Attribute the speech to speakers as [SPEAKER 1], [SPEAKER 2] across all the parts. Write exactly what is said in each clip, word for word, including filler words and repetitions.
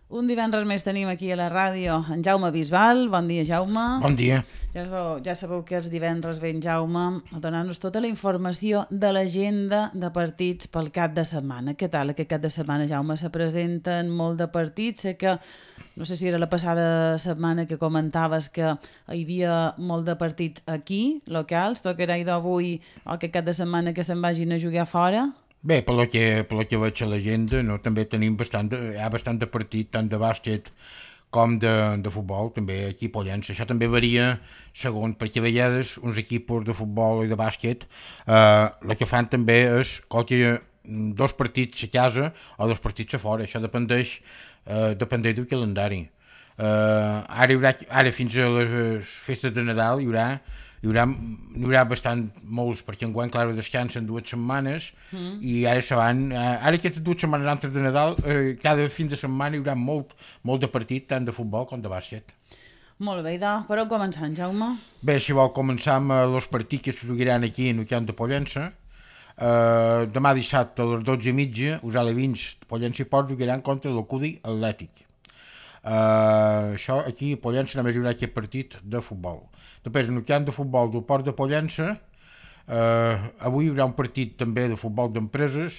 [SPEAKER 1] Un divendres més tenim aquí a la ràdio en Jaume Bisbal. Bon dia, Jaume.
[SPEAKER 2] Bon dia.
[SPEAKER 1] Ja sabeu, ja sabeu que els divendres ve en Jaume a donar-nos tota la informació de l'agenda de partits pel cap de setmana. Què tal aquest cap de setmana, Jaume? Se presenten molt de partits. Sé que, no sé si era la passada setmana que comentaves que hi havia molt de partits aquí, locals. Tocarà d'avui o aquest cap de setmana que se'n vagin a jugar fora?
[SPEAKER 2] Bé, per lo que, per lo que veig a l'agenda, no, també tenim bastant de, hi ha bastant de partit, tant de bàsquet com de, de futbol, també aquí a Pollença. Això també varia segons, perquè a vegades uns equips de futbol i de bàsquet eh, el que fan també és qualque, dos partits a casa o dos partits a fora. Això dependeix, eh, dependeix del calendari. Eh, ara, hi haurà, ara fins a les festes de Nadal hi haurà hi haurà, hi haurà bastant molts, perquè enguany, clar, descansen dues setmanes mm. i ara se van, ara aquestes dues setmanes antes de Nadal, eh, cada fin de setmana hi haurà molt, molt de partit, tant de futbol com de bàsquet.
[SPEAKER 1] Molt bé, idò. Per on començant, Jaume?
[SPEAKER 2] Bé, si vol, començar amb els partits que se jugaran aquí en el camp de Pollença. Eh, demà dissabte a les dotze i mitja, us alevins de Pollença i Port jugaran contra l'Ocudi Atlètic. Uh, això aquí a Pollença només hi haurà aquest partit de futbol. Després en el camp de futbol del Port de Pollença uh, avui hi haurà un partit també de futbol d'empreses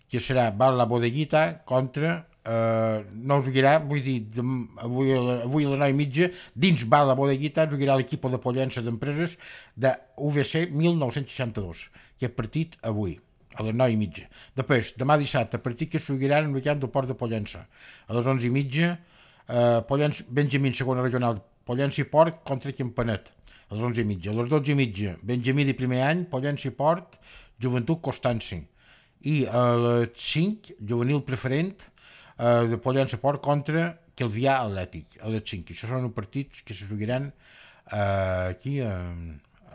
[SPEAKER 2] que serà Bar la Bodeguita contra uh, no us jugarà, vull dir de, avui, a la, avui a les nou i mitja dins Bar la Bodeguita us jugarà l'equip de Pollença d'empreses de U V C mil nou-cents seixanta-dos. Aquest partit avui a les nou i mitja. Després, demà dissabte, partit que es jugarà en el camp del Port de Pollença a les onze i mitja. Uh, Pollença, Benjamí segona regional, Pollença i Port contra Campanet a les onze i mitja. A les dotze i mitja, Benjamí de primer any, Pollença i Port, Joventut Constanci. I a les cinc, juvenil preferent uh, de Pollença i Port contra Calvià Atlètic a les cinc. Això són els partits que se jugaran uh, aquí uh,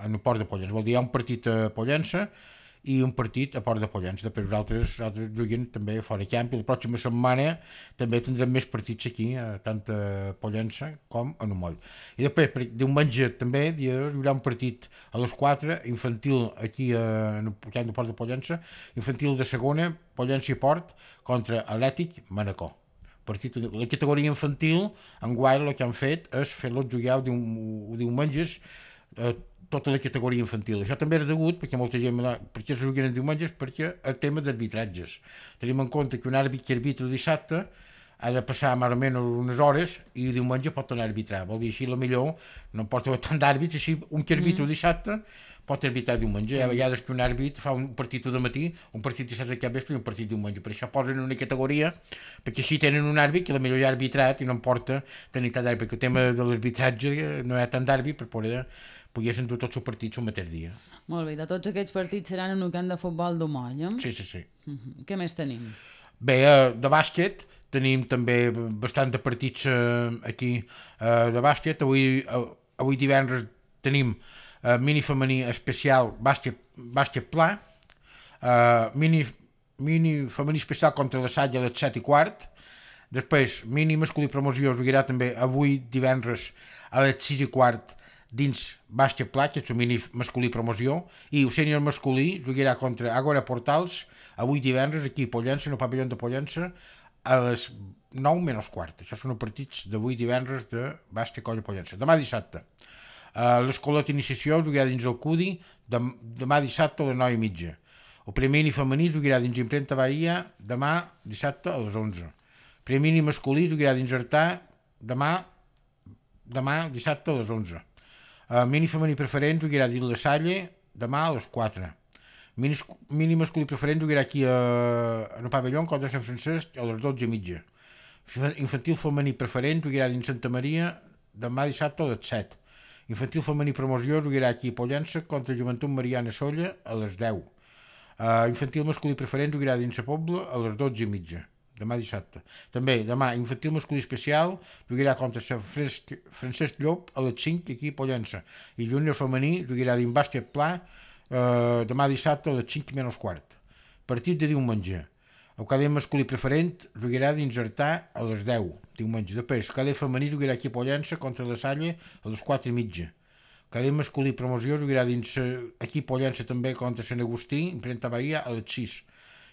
[SPEAKER 2] en el Port de Pollença. Vol dir, hi ha un partit a Pollença i un partit a Port de Pollença. Després nosaltres, nosaltres juguem també a fora camp i la pròxima setmana també tindrem més partits aquí, tant a Pollença com a Numoll. I després, per diumenge també hi haurà un partit a les quatre, infantil aquí a, en el camp de Port de Pollença, infantil de segona, Pollença i Port contra Atlètic Manacor. Partit, la categoria infantil, enguany el que han fet és fer-los jugar diumenges eh, tota la categoria infantil. Això també és degut, perquè molta gent, perquè se juguen diumenges, perquè el tema d'arbitratges. Tenim en compte que un àrbit que arbitra dissabte ha de passar més o menys unes hores i diumenge pot tornar a arbitrar. Vol dir, així la millor no pot haver tant d'àrbits, així un que arbitra mm. dissabte pot arbitrar diumenge. Hi ha vegades que un àrbit fa un partit de matí, un partit dissabte de cap vespre i un partit diumenge. Per això posen una categoria, perquè així tenen un àrbit que la millor ja ha arbitrat i no importa tenir tant d'àrbit, perquè el tema de l'arbitratge no hi ha tant d'àrbit per poder poguessin dur tots els partits el mateix dia.
[SPEAKER 1] Molt bé, de tots aquests partits seran en un camp de futbol d'Umoll, eh?
[SPEAKER 2] Sí, sí, sí.
[SPEAKER 1] Uh-huh. Què més tenim?
[SPEAKER 2] Bé, de bàsquet tenim també bastant de partits eh, aquí eh, de bàsquet. Avui, eh, avui divendres tenim eh, mini femení especial bàsquet, bàsquet pla, eh, mini, mini femení especial contra la Salle a les set i quart. Després, mini masculí promoció es jugarà també avui divendres a les sis i quart dins bàsquet pla, que és el mini masculí promoció, i el sènior masculí jugarà contra Agora Portals avui divendres aquí a Pollença, en el pavelló de Pollença, a les nou menys quart. Això són els partits d'avui divendres de bàsquet colla Pollença. Demà dissabte, uh, l'escolet d'iniciació jugarà dins el Cudi, dem demà dissabte a les nou i mitja. El primer mini femení jugarà dins Imprenta Bahia demà dissabte a les onze. El primer mini masculí jugarà dins Artà demà, demà dissabte a les onze. Uh, mini femení preferent jugarà dins la Salle demà a les quatre. Mini, mini masculí preferent jugarà aquí a, a el pavelló contra Sant Francesc a les dotze i mitja. Infantil femení preferent jugarà dins Santa Maria demà dissabte a les set. Infantil femení promoció jugarà aquí a Pollença contra Joventut Mariana Solla a les deu. Uh, infantil masculí preferent jugarà dins la Pobla a les dotze i mitja. Demà dissabte. També, demà, infantil masculí especial jugarà contra Francesc, Francesc Llop a les cinc aquí a Pollença. I júnior femení jugarà dins bàsquet pla eh, demà dissabte a les cinc menys quart. Partit de diumenge. El cadet masculí preferent jugarà dins Artà a les deu, diumenge. Després, cadet femení jugarà aquí a Pollença contra la Salle a les quatre i mitja. Cadet masculí promoció jugarà dins aquí a Pollença també contra Sant Agustí, Imprenta Bahia a les sis.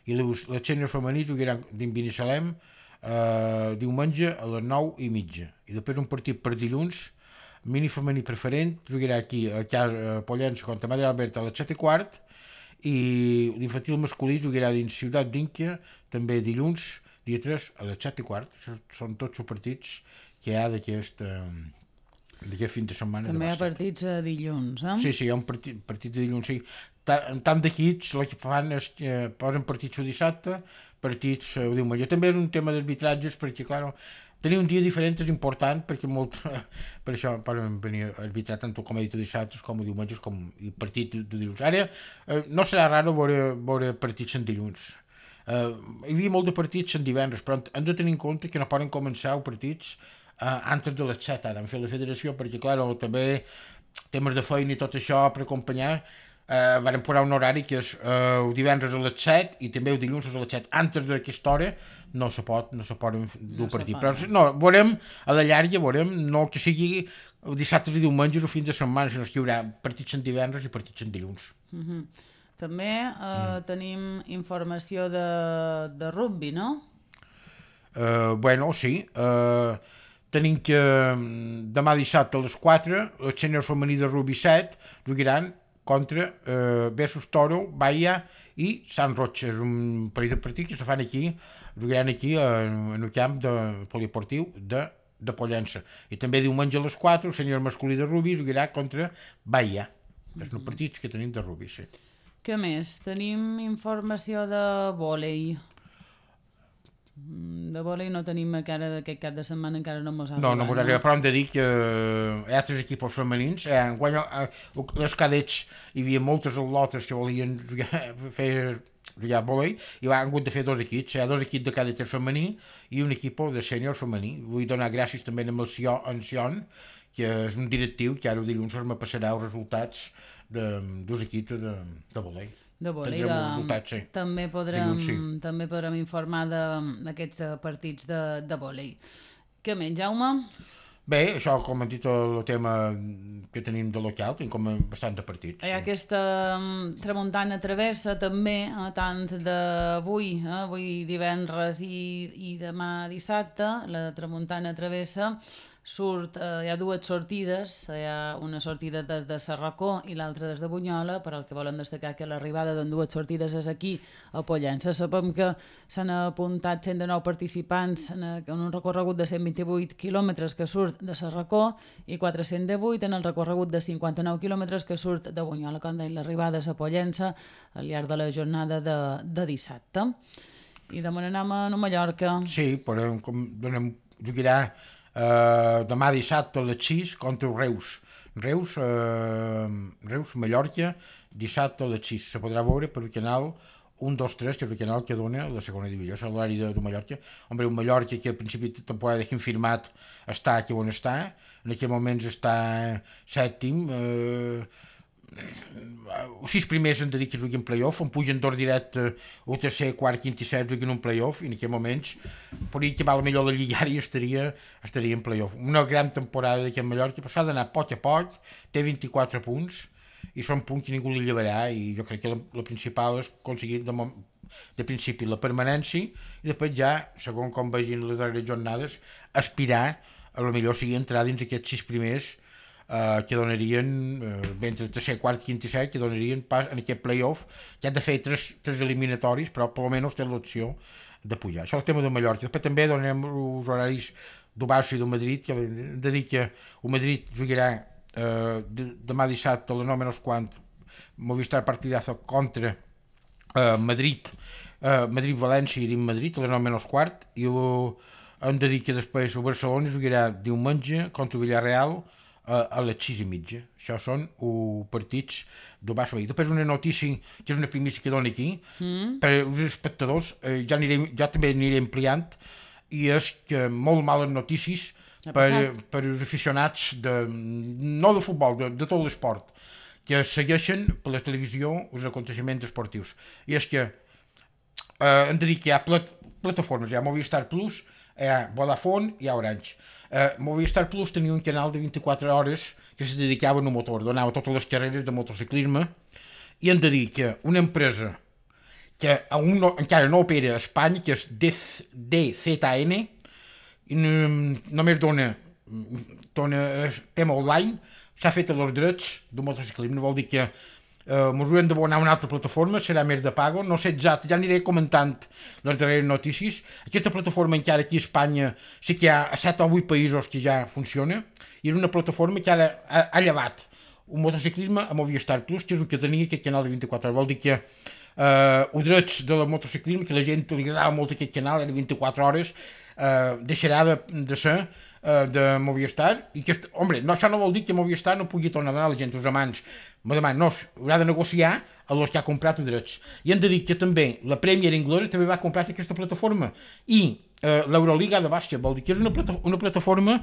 [SPEAKER 2] I la sènior femení jugarà dins Binissalem uh, diumenge a les nou i mitja. I després un partit per dilluns, mini femení preferent, jugarà aquí a Casa Pollença contra Madre Alberta a les set i quart, i l'infantil masculí jugarà dins Ciutat d'Inca, també dilluns, dia tres, a les set i quart. Això són tots els partits que hi ha d'aquest, d'aquest fin de setmana.
[SPEAKER 1] També hi ha partits a dilluns, eh?
[SPEAKER 2] Sí, sí, hi ha un partit, partit de dilluns, sí. En tant d'equips, el que fan és que posen partits el dissabte, partits el diumenge. També és un tema d'arbitratges, perquè, clar, tenir un dia diferent és important, perquè molt, per això poden venir a arbitrar tant com he dit dissabtes, com a diumenges, com i partit de dilluns. Ara, eh, no serà raro veure, veure partits en dilluns. Eh, hi havia molt de partits en divendres, però hem de tenir en compte que no poden començar els partits eh, antes de les set, ara, han fet la federació, perquè, clar, també temes de feina i tot això per acompanyar, Uh, varen posar un horari que és uh, el divendres a les set i també el dilluns a les set. Antes d'aquesta hora no se pot, no se poden dur no partit. Però no, veurem a la llarga, veurem, no que sigui dissabtes i diumenges o fins de setmana, sinó que hi haurà partits en divendres i partits en dilluns.
[SPEAKER 1] Uh -huh. També uh, mm. tenim informació de, de rugby, no?
[SPEAKER 2] Uh, bueno, sí. Uh, tenim que demà dissabte a les quatre el sènior femení de rugby set jugaran contra eh, Versus Toro, Bahia i Sant Roig. És un parell de partits que se fan aquí, jugaran aquí en, en el camp de poliesportiu de, de Pollença. I també diumenge a les quatre el sènior masculí de rugby jugarà contra Bahia. Mm-hmm. És un partit que tenim de rugby, sí.
[SPEAKER 1] Què més? Tenim informació de vòlei. De vòlei no tenim encara d'aquest cap de setmana, encara no mos ha
[SPEAKER 2] arribat. No, no mos ha arribat, però hem de dir que hi ha altres equips femenins. Eh, quan les cadets hi havia moltes atletes que volien jugar, fer jugar vòlei i han hagut de fer dos equips. Hi ha dos equips de cadets femení i un equip de sènior femení. Vull donar gràcies també a en Sion, que és un directiu que ara el dilluns me passarà els resultats de dos equips de, de vòlei.
[SPEAKER 1] De vòlei, de... sí. també, podrem, dilluns, sí. també podrem informar d'aquests partits de, de vòlei. Què menys, Jaume?
[SPEAKER 2] Bé, això, com hem dit, el tema que tenim de local, tenim com bastant de partits.
[SPEAKER 1] Hi ha sí. aquesta um, tramuntana travessa també, eh, tant d'avui, eh, avui divendres i, i demà dissabte, la tramuntana travessa surt, eh, hi ha dues sortides, hi ha una sortida des de Sarracó i l'altra des de Bunyola, però el que volen destacar que l'arribada d'en dues sortides és aquí a Pollença. Sabem que s'han apuntat cent dinou participants en, en un recorregut de cent vint-i-vuit quilòmetres que surt de Sarracó i quatre-cents divuit en el recorregut de cinquanta-nou quilòmetres que surt de Bunyola. Com deia, l'arribada és a Pollença al llarg de la jornada de, de dissabte. I demà anem a Mallorca.
[SPEAKER 2] Sí, però com donem, jugarà Uh, demà dissabte a les sis contra Reus. Reus, uh, Reus, Mallorca, dissabte a les sis. Se podrà veure per el canal un, dos, tres, que és el canal que dona la segona divisió, és l'horari de, de Mallorca. Hombre, un Mallorca que al principi de temporada que hem firmat està aquí on està, en aquell moments està sèptim, uh, els sis primers han de dir que juguen play-off, on pugen dos directe el tercer, quart, quint i set juguen un play-off i en aquests moments podria acabar millor la lliga i estaria, estaria en play-off. Una gran temporada d'aquest Mallorca, però s'ha d'anar a poc a poc, té vint-i-quatre punts i són punts que ningú li llevarà i jo crec que la, la principal és aconseguir de, de principi la permanència i després ja, segons com vegin les darreres jornades, aspirar a lo millor sigui entrar dins aquests sis primers Uh, que donarien, uh, entre tercer, quart, quint i set, que donarien pas en aquest play-off, que han de fer tres, tres eliminatoris, però per almenys té l'opció de pujar. Això és el tema de Mallorca. Després també donem els horaris del Barça i del Madrid, que hem de dir que el Madrid jugarà uh, de, demà dissabte a les nou menys quant, Movistar partidazo contra uh, Madrid, uh, Madrid-València i Madrid a les nou menys quart, i uh, hem de dir que després el Barcelona jugarà diumenge contra el Villarreal a les sis i mitja. Això són uh, partits del Barça. Després una notícia, que és una primícia que dona aquí, mm. per als espectadors, eh, ja, anirem, ja també aniré ampliant, i és que molt males notícies per, per als aficionats, de, no de futbol, de, de tot l'esport, que segueixen per la televisió els aconteixements esportius. I és que eh, hem de dir que hi ha plat, plataformes, hi ha Movistar Plus, hi ha Vodafone i hi ha Orange. Uh, Movistar Plus tenia un canal de vint-i-quatre hores que se dedicava al motor, donava totes les carreres de motociclisme, i hem de dir que una empresa que un no, encara no opera a Espanya, que és D Z N, i només dona, dona tema online, s'ha fet els drets d'un motociclisme, vol dir que eh, ens haurem d'abonar una altra plataforma, serà més de pago, no sé exacte, ja aniré comentant les darreres notícies. Aquesta plataforma encara aquí a Espanya sí que hi ha a set o vuit països que ja funciona, i és una plataforma que ara ha, ha llevat un motociclisme a Movistar Plus, que és el que tenia aquest canal de vint-i-quatre hores, vol dir que eh, els drets del motociclisme, que la gent li agradava molt aquest canal, era vint-i-quatre hores, eh, deixarà de, de ser eh, de Movistar, i que, home, no, això no vol dir que Movistar no pugui tornar a donar a la gent, els amants, demà, no, haurà de negociar a els que ha comprat els drets. I hem de dir que també la Premier Inglory també va comprar aquesta plataforma, i eh, l'Euroliga de bàsquet, vol dir que és una, plata, una plataforma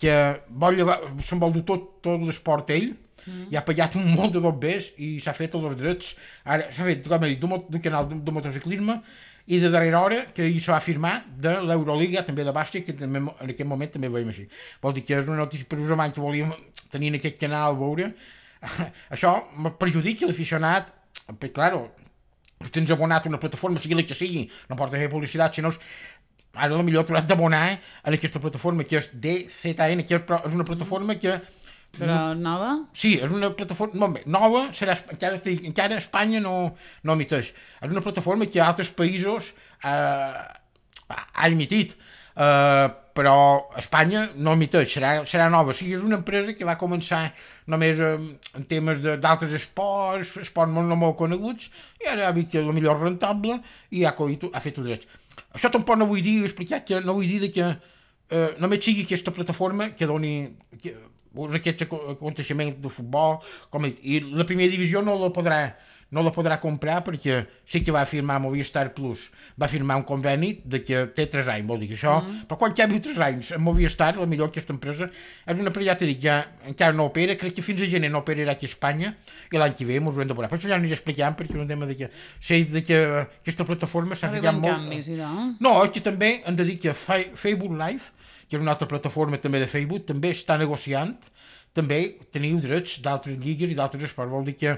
[SPEAKER 2] que vol llevar, se'n vol dur tot, tot l'esport ell, mm. i ha pagat un molt de dobbers i s'ha fet els drets, ara s'ha fet, com he dit, d'un canal de, de motociclisme, i de darrera hora que hi s'ha firmat de l'Euroliga, també de bàsquet, que també, en aquest moment també veiem així. Vol dir que és una notícia per us amants que volíem tenir en aquest canal a veure. Això perjudica l'aficionat, però, claro, si tens abonat una plataforma, sigui la que sigui, no porta fer publicitat, sinó ara potser t'hauràs d'abonar en aquesta plataforma, que és D Z N, que és una plataforma que...
[SPEAKER 1] Però nova? Sí,
[SPEAKER 2] és una plataforma no, bé, nova, serà, encara, encara Espanya no, no emiteix. És una plataforma que altres països eh, ha emitit, eh, però Espanya no emiteix, serà, serà nova. O sigui, és una empresa que va començar només eh, en temes d'altres esports, esports molt, no molt coneguts, i ara ha vist que és la millor rentable i ha, ha fet els drets. Això tampoc no vull dir, explicar que no vull dir que eh, només sigui aquesta plataforma que doni... Que, aquests aconteixements de futbol, com he dit, i la primera divisió no la podrà no la podrà comprar perquè sí que va firmar Movistar Plus, va firmar un conveni de que té tres anys, vol dir que això, mm. però quan ja viu tres anys en Movistar, la millor aquesta empresa és una empresa, ja t'he dit, ja encara no opera, crec que fins a gener no operarà aquí a Espanya i l'any que ve ens ho hem de veure, per això ja aniré explicant perquè és un tema de que sé de que aquesta plataforma s'ha ficat molt...
[SPEAKER 1] Canvis, no?
[SPEAKER 2] No, que també hem de dir que Facebook Live, que és una altra plataforma també de Facebook, també està negociant, també teniu drets d'altres lligues i d'altres esports, vol dir que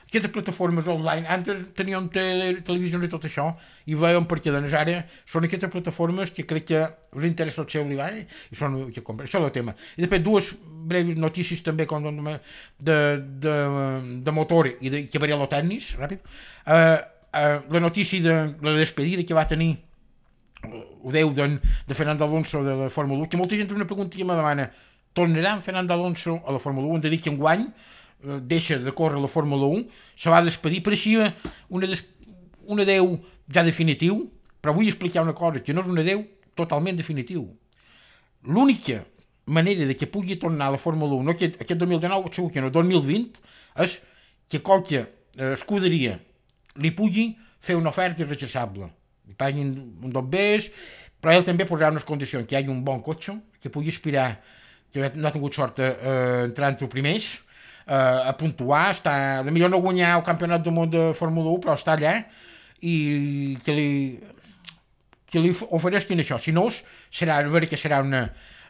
[SPEAKER 2] aquestes plataformes online, antes teníem tele, televisió i tot això, i veiem per què doncs ara són aquestes plataformes que crec que us interessa el seu llibre i són que compren, això és el tema. I després dues breus notícies també com de, de, de, de motor i de que varia el tennis, ràpid. Uh, uh, la notícia de la despedida que va tenir ho deu de, de Fernando Alonso de la Fórmula u, que molta gent una pregunta i me demana, tornarà en Fernando Alonso a la Fórmula u? Hem de dir que enguany eh, deixa de córrer la Fórmula u, se va despedir, pareixia una, des, un adeu ja definitiu, però vull explicar una cosa, que no és un adeu totalment definitiu. L'única manera de que pugui tornar a la Fórmula u, no aquest, aquest dos mil dinou, segur que no, dos mil vint, és que qualque eh, escuderia li pugui fer una oferta irrechassable. Li paguin un dobbers, però ell també posarà unes condicions, que hi hagi un bon cotxe, que pugui aspirar, que no ha tingut sort a eh, entrar entre els primers, eh, a puntuar, està, potser no guanyar el campionat del món de Fórmula u, però està allà, i que li, que li ofereixin això. Si no, serà, a veure que serà una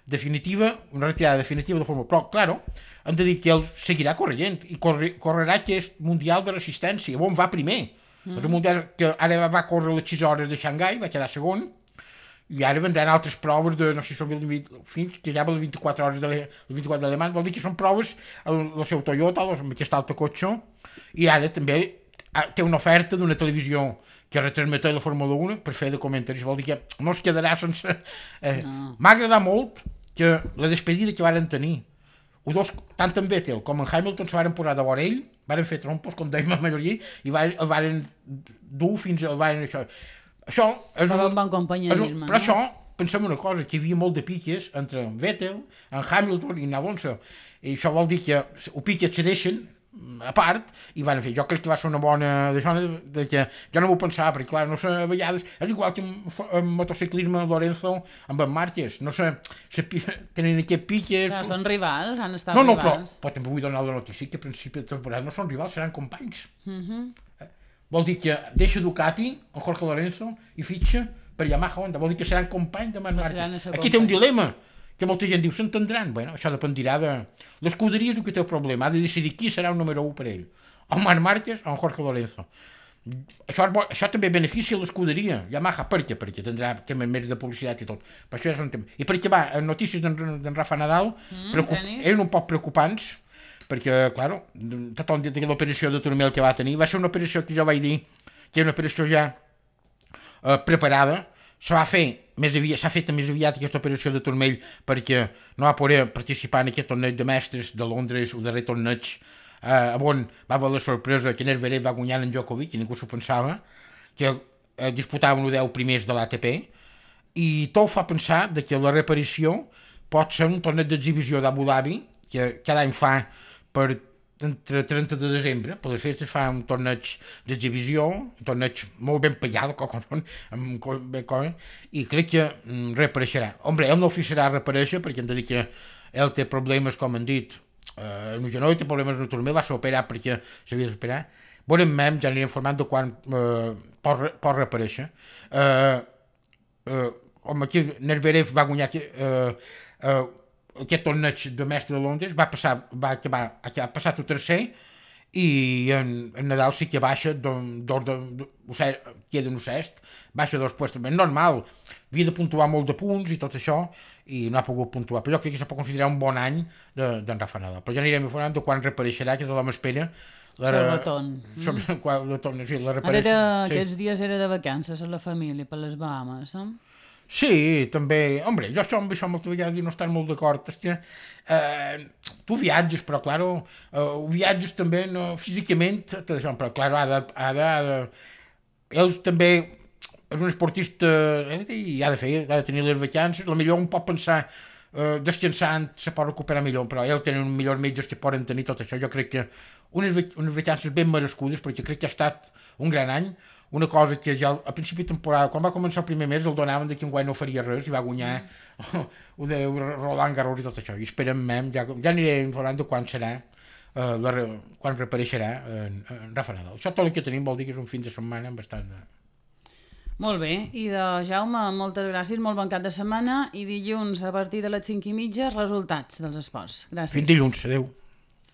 [SPEAKER 2] definitiva, una retirada definitiva de Fórmula u. Però, claro, hem de dir que ell seguirà corrent, i corre, correrà aquest Mundial de Resistència, on va primer. Mm. El Mundial que ara va córrer les sis hores de Xangai, va quedar segon, i ara vendran altres proves de, no sé si són fins que ja va les vint-i-quatre hores de les vint-i-quatre d'Alemany, vol dir que són proves el, el seu Toyota, amb aquest altre cotxe, i ara també té una oferta d'una televisió que retransmet la Fórmula u per fer de comentaris, vol dir que no es quedarà sense... Eh, no. M'ha agradat molt que la despedida que varen tenir, els dos, tant en Vettel com en Hamilton, se varen posar de vora ell, varen fer trompos, com dèiem a Mallorquí, i el varen dur fins al varen això. Això és
[SPEAKER 1] un, bon companyerisme,
[SPEAKER 2] però no? Això, pensem una cosa, que hi havia molt de piques entre en Vettel, en Hamilton i en Alonso, i això vol dir que el pique cedeixen a part, i van fer, jo crec que va ser una bona d'això, de, de que jo no m'ho pensava, perquè clar, no sé, a vegades és igual que en motociclisme Lorenzo amb en Márquez, no sé, se, tenen aquest piques...
[SPEAKER 1] Clar, són rivals, han estat
[SPEAKER 2] no, no,
[SPEAKER 1] rivals.
[SPEAKER 2] Però, però també vull donar la notícia que a principi de temporada no són rivals, seran companys.
[SPEAKER 1] Uh -huh.
[SPEAKER 2] eh? Vol dir que deixa Ducati, en Jorge Lorenzo, i fitxa per Yamaha Honda, vol dir que seran companys de Marc Márquez. Aquí té un dilema, que molta gent diu, s'entendran? Bueno, això dependirà de... L'escuderia és el que té el problema, ha de decidir qui serà el número u per ell, o Marc Márquez o en Jorge Lorenzo. això, és bo, això també beneficia l'escuderia Yamaha, per què? Perquè tindrà temes més de publicitat i tot. Per això és un tema. I perquè va, en notícies d'en Rafa Nadal
[SPEAKER 1] Mm,
[SPEAKER 2] preocup...
[SPEAKER 1] tenis.
[SPEAKER 2] eren un poc preocupants, perquè, clar, tothom dit que l'operació de turmell que va tenir va ser una operació que jo vaig dir que era una operació ja eh, preparada. S'ha fet més aviat, s'ha fet més aviat aquesta operació de turmell perquè no va poder participar en aquest torneig de mestres de Londres, el darrer torneig, eh, on va haver la sorpresa que Medvedev va guanyar en Djokovic, i ningú s'ho pensava, que eh, disputaven els deu primers de l'A T P, i tot fa pensar de que la reaparició pot ser un torneig d'exhibició d'Abu Dhabi, que cada any fa per entre trenta de desembre, per les festes fa un torneig d'exhibició, un torneig molt ben pagat, i crec que mm, reapareixerà. Hombre, ell no oficiarà a reaparèixer, perquè hem de dir que ell té problemes, com han dit, eh, en el genoll, té problemes en el turmell, va ser operat perquè s'havia d'operar. Veurem mem, ja aniré informant de quan eh, pot, pot reaparèixer. Eh, eh, com aquí Medvedev va guanyar eh, eh, aquest torneig de mestre de Londres, va passar, va acabar, ha passat el tercer, i en, en Nadal sí que baixa d'ordre, queda en el sext, baixa dos puestos, normal, havia de puntuar molt de punts i tot això, i no ha pogut puntuar, però jo crec que se pot considerar un bon any d'en de, Rafa Nadal, però ja anirem informant de quan reapareixerà, que tothom espera
[SPEAKER 1] la, el retorn.
[SPEAKER 2] Mm. Quan, la torn, sí, la
[SPEAKER 1] Ara era, sí. Aquests dies era de vacances a la família per les Bahamas, eh?
[SPEAKER 2] Sí, també, hombre, jo això amb això moltes vegades no estar molt d'acord, és que eh, tu viatges, però, claro, eh, viatges també no, físicament, això, però, claro, ha de, ha de, ha de... Ell també és un esportista eh, i ha de fer, ha de tenir les vacances, la millor un pot pensar eh, descansant se pot recuperar millor, però ell tenen millors metges que poden tenir tot això, jo crec que unes, unes vacances ben merescudes, perquè crec que ha estat un gran any, una cosa que ja a principi de temporada, quan va començar el primer mes, el donaven que enguany no faria res i va guanyar mm. ho de Roland Garros i tot això, i esperem mem, ja, ja aniré informant de quan serà, eh, la, quan reapareixerà en, en Rafa Nadal. Això tot el que tenim vol dir que és un fin de setmana bastant...
[SPEAKER 1] Molt bé, i de Jaume, moltes gràcies, molt bon cap de setmana, i dilluns a partir de les cinc i mitja resultats dels esports. Gràcies.
[SPEAKER 2] Fins dilluns, adeu.